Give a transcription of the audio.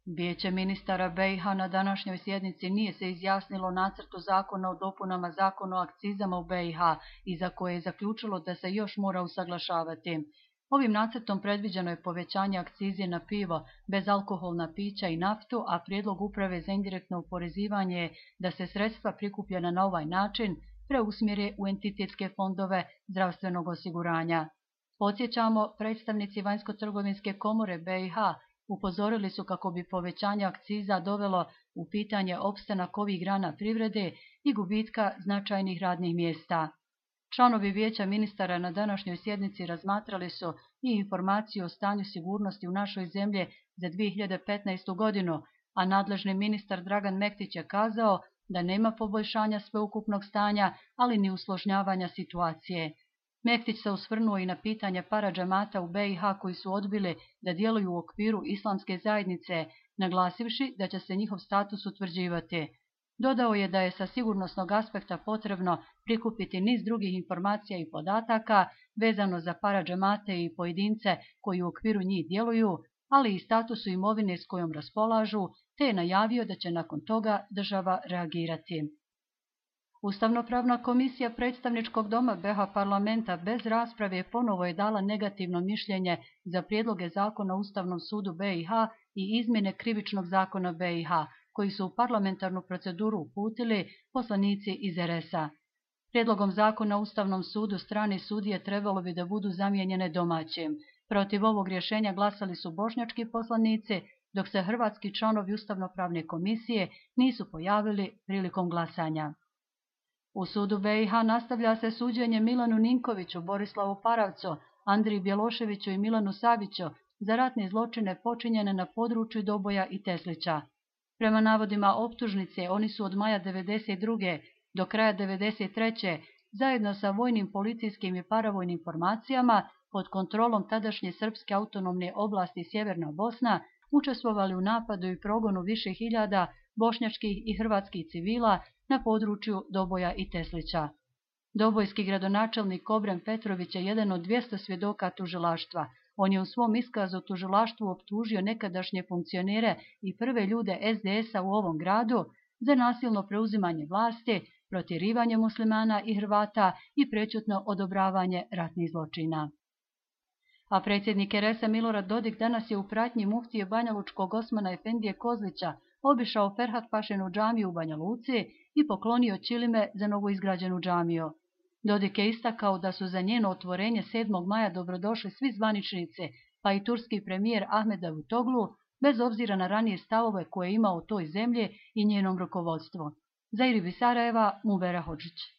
Vijeće ministara BiH na današnjoj sjednici nije se izjasnilo o nacrtu zakona o dopunama zakona o akcizama u BiH i za koje je zaključilo da se još mora usaglašavati. Ovim nacrtom predviđeno je povećanje akcize na pivo, bezalkoholna pića i naftu, a prijedlog uprave za indirektno oporezivanje je da se sredstva prikupljena na ovaj način preusmjere u entitetske fondove zdravstvenog osiguranja. Podsjećamo, predstavnici Vanjsko-trgovinske komore BiH upozorili su kako bi povećanje akciza dovelo u pitanje opstanak ovih grana privrede i gubitka značajnih radnih mjesta. Članovi Vijeća ministara na današnjoj sjednici razmatrali su i informaciju o stanju sigurnosti u našoj zemlji za 2015. godinu, a nadležni ministar Dragan Mektić je kazao da nema poboljšanja sveukupnog stanja, ali ni usložnjavanja situacije. Mektić se osvrnuo i na pitanje paradžamata u BiH koji su odbili da djeluju u okviru islamske zajednice, naglasivši da će se njihov status utvrđivati. Dodao je da je sa sigurnosnog aspekta potrebno prikupiti niz drugih informacija i podataka vezano za paradžamate i pojedince koji u okviru njih djeluju, ali i statusu imovine s kojom raspolažu, te je najavio da će nakon toga država reagirati. Ustavnopravna komisija predstavničkog doma BiH parlamenta bez rasprave ponovo je dala negativno mišljenje za prijedloge zakona o Ustavnom sudu BiH i izmjene krivičnog zakona BiH, koji su u parlamentarnu proceduru uputili poslanici iz RS-a. Prijedlogom zakona o Ustavnom sudu strane sudije trebalo bi da budu zamijenjene domaćim. Protiv ovog rješenja glasali su bošnjački poslanici, dok se hrvatski članovi Ustavnopravne komisije nisu pojavili prilikom glasanja. U sudu BiH nastavlja se suđenje Milanu Ninkoviću, Borislavu Paravcu, Andriji Bjeloševiću i Milanu Saviću za ratne zločine počinjene na području Doboja i Teslića. Prema navodima optužnice, oni su od maja 1992. do kraja 1993. zajedno sa vojnim, policijskim i paravojnim formacijama pod kontrolom tadašnje srpske autonomne oblasti Sjeverna Bosna učestvovali u napadu i progonu više hiljada bošnjačkih i hrvatskih civila na području Doboja i Teslića. Dobojski gradonačelnik Obrem Petrović je jedan od 200 svjedoka tužilaštva. On je u svom iskazu tužilaštvu optužio nekadašnje funkcionere i prve ljude SDS-a u ovom gradu za nasilno preuzimanje vlasti, protjerivanje muslimana i Hrvata i prečutno odobravanje ratnih zločina. A predsjednik RS-a Milorad Dodik danas je u pratnji muftije banjalučkog Osmana Efendije Kozlića obišao Ferhat Pašinu džamiju u Banja Luci i poklonio čilime za novoizgrađenu džamiju. Dodik je istakao da su za njeno otvorenje 7. maja dobrodošli svi zvaničnici, pa i turski premijer Ahmed Davutoglu, bez obzira na ranije stavove koje je imao o toj zemlji i njenom rukovodstvu. Za Iribi Sarajeva, Mubera Hodžić.